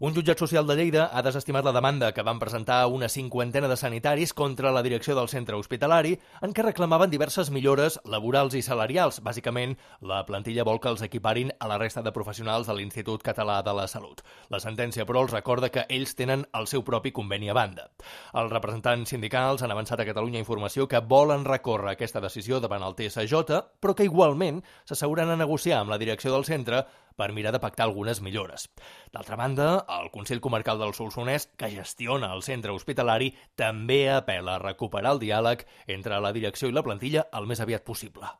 Un jutjat social de Lleida ha desestimat la demanda que van presentar una cinquantena de sanitaris contra la direcció del centre hospitalari en què reclamaven diverses millores laborals i salarials. Bàsicament, la plantilla vol que els equiparin a la resta de professionals de l'Institut Català de la Salut. La sentència, però, els recorda que ells tenen el seu propi conveni a banda. Els representants sindicals han avançat a Catalunya Informació que volen recórrer aquesta decisió davant el TSJ, però que igualment s'asseguren a negociar amb la direcció del centre per mirar de pactar algunes millores. D'altra banda, el Consell Comarcal del Solsonès, que gestiona el centre hospitalari, també apela a recuperar el diàleg entre la direcció i la plantilla el més aviat possible.